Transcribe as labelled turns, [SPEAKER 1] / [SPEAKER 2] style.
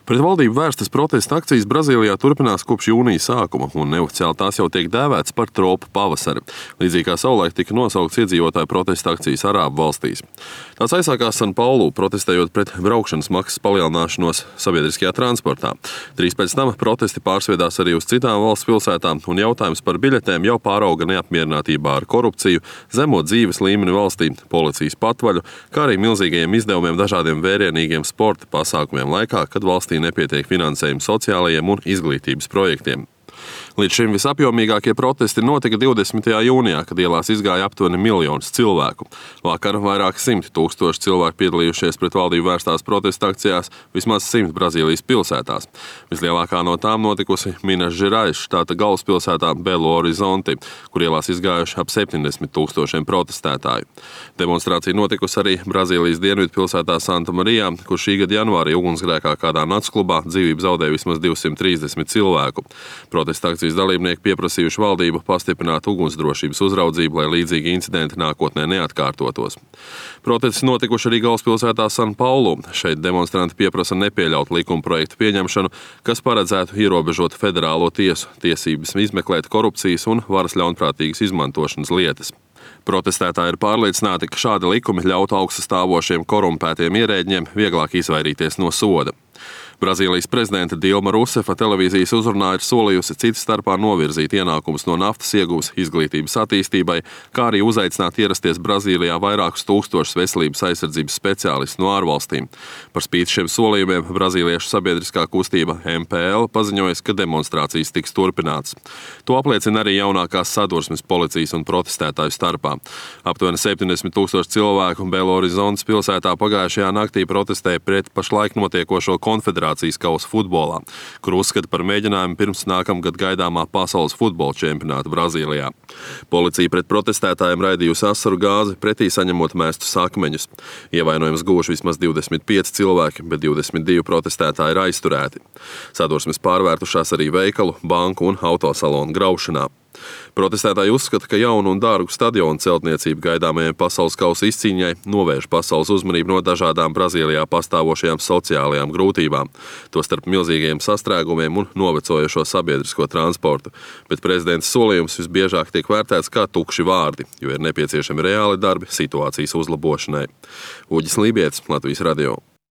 [SPEAKER 1] Pret valdību vērstas protesta akcijas Brazīlijā turpinās kopš jūnija sākuma, un neoficiāli tās jau tiek dēvētas par tropu pavasari, līdzīgi kā savulaik tika nosaukts iedzīvotāju protesta akcijas Arābu valstīs. Tās aizsākās San Paulu, protestējot pret braukšanas maksas palielināšanos sabiedriskajā transportā. Drīz pēc tam protesti pārsviedās arī uz citām valsts pilsētām, un jautājums par biļetēm jau pārauga neapmierinātībā ar korupciju, zemo dzīves līmeni valstī, policijas patvaļu, kā arī milzīgajiem izdevumiem dažādiem vērienīgiem sporta pasākumiem laikā, kad valstī nepietiek finansējumu sociālajiem un izglītības projektiem. Līdz šim visapjomīgākie protesti notika 20. jūnijā, kad ielās izgāja aptuveni 1 miljons cilvēku. Vakar vairāk 100 000 cilvēku piedalījušies pret valdību vērstās protesta akcijās vismaz 100 Brazīlijas pilsētās. Vislielākā no tām notikusi Minas Gerais štāta galvaspilsētā Belo Horizonte, kur ielās izgājuši ap 70 000 protestētāju. Demonstrācija notikusi arī Brazīlijas dienvidu pilsētā Santa Marijā, kur šī gada janvārī ugunsgrēkā kādā naktsklubā dzīvību zaudēja vismaz 230 cilvēku. Protesta akcijas dalībnieki pieprasījuši valdību pastiprināt ugunsdrošības uzraudzību, lai līdzīgi incidenti nākotnē neatkārtotos. Protesti notikuši arī galvaspilsētā San Paulu. Šeit demonstranti pieprasa nepieļaut likumprojektu pieņemšanu, kas paredzētu ierobežot federālo tiesu tiesības izmeklēt korupcijas un varas ļaunprātīgas izmantošanas lietas. Protestētāji ir pārliecināti, ka šādi likumi ļautu augststāvošiem korumpētiem ierēģiem vieglāk izvairīties no soda. Brazīlijas prezidenta Dilma Rusefa televīzijas uzrunā ir solījusi citas starpā novirzīt ienākumus no naftas ieguves izglītības attīstībai, kā arī uzaicināt ierasties Brazīlijā vairākus tūkstošus veselības aizsardzības speciālistus no ārvalstīm. Par spīti šiem solījumiem brazīliešu sabiedriskā kustība MPL paziņojas, ka demonstrācijas tiks turpinātas. To apliecina arī jaunākās sadursmes policijas un protestētāju starpā. Aptuveni 70 000 cilvēku Belo Horizontes pilsētā pagājušajā naktī protestēja pret pašlaik notiekošo konfederācijas kausu futbolā, kur uzskata par mēģinājumu pirms nākamgad gaidāmā pasaules futbola čempionāta Brazīlijā. Policija pret protestētājiem raidījusi asaru gāzi, pretī saņemot mēstus akmeņus. Ievainojums guvuši vismaz 25 cilvēki, bet 22 protestētāji ir aizturēti. Sadursmes pārvērtušās arī veikalu, banku un autosalonu graušanā. Protestētāji uzskata, ka jaunu un dārgu stadionu celtniecību gaidāmajai pasaules kausa izcīņai novērš pasaules uzmanību no dažādām Brazīlijā pastāvošajām sociālajām grūtībām, tostarp milzīgajiem sastrēgumiem un novecojošo sabiedrisko transportu. Bet prezidents solījums visbiežāk tiek vērtēts kā tukši vārdi, jo ir nepieciešami reāli darbi situācijas uzlabošanai. Uģis Lībietis, Latvijas radio.